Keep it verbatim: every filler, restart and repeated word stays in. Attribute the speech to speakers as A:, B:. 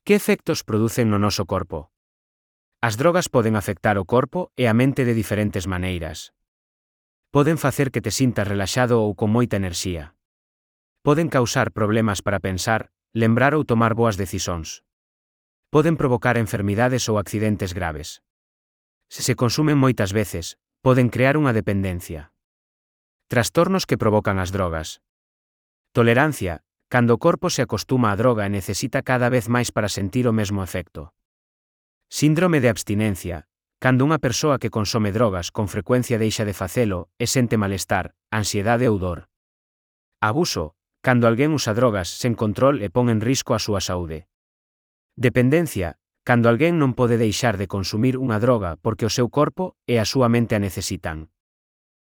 A: Que efectos producen no noso corpo? As drogas poden afectar o corpo e a mente de diferentes maneiras. Poden facer que te sintas relaxado ou con moita enerxía. Poden causar problemas para pensar, lembrar ou tomar boas decisións. Poden provocar enfermidades ou accidentes graves. Se se consumen moitas veces, poden crear unha dependencia. Trastornos que provocan as drogas. Tolerancia, cando o corpo se acostuma á droga e necesita cada vez máis para sentir o mesmo efecto. Síndrome de abstinencia, cando unha persoa que consome drogas con frecuencia deixa de facelo e sente malestar, ansiedade ou dor. Abuso, cando alguén usa drogas sen control e pon en risco a súa saúde. Dependencia, cando alguén non pode deixar de consumir unha droga porque o seu corpo e a súa mente a necesitan.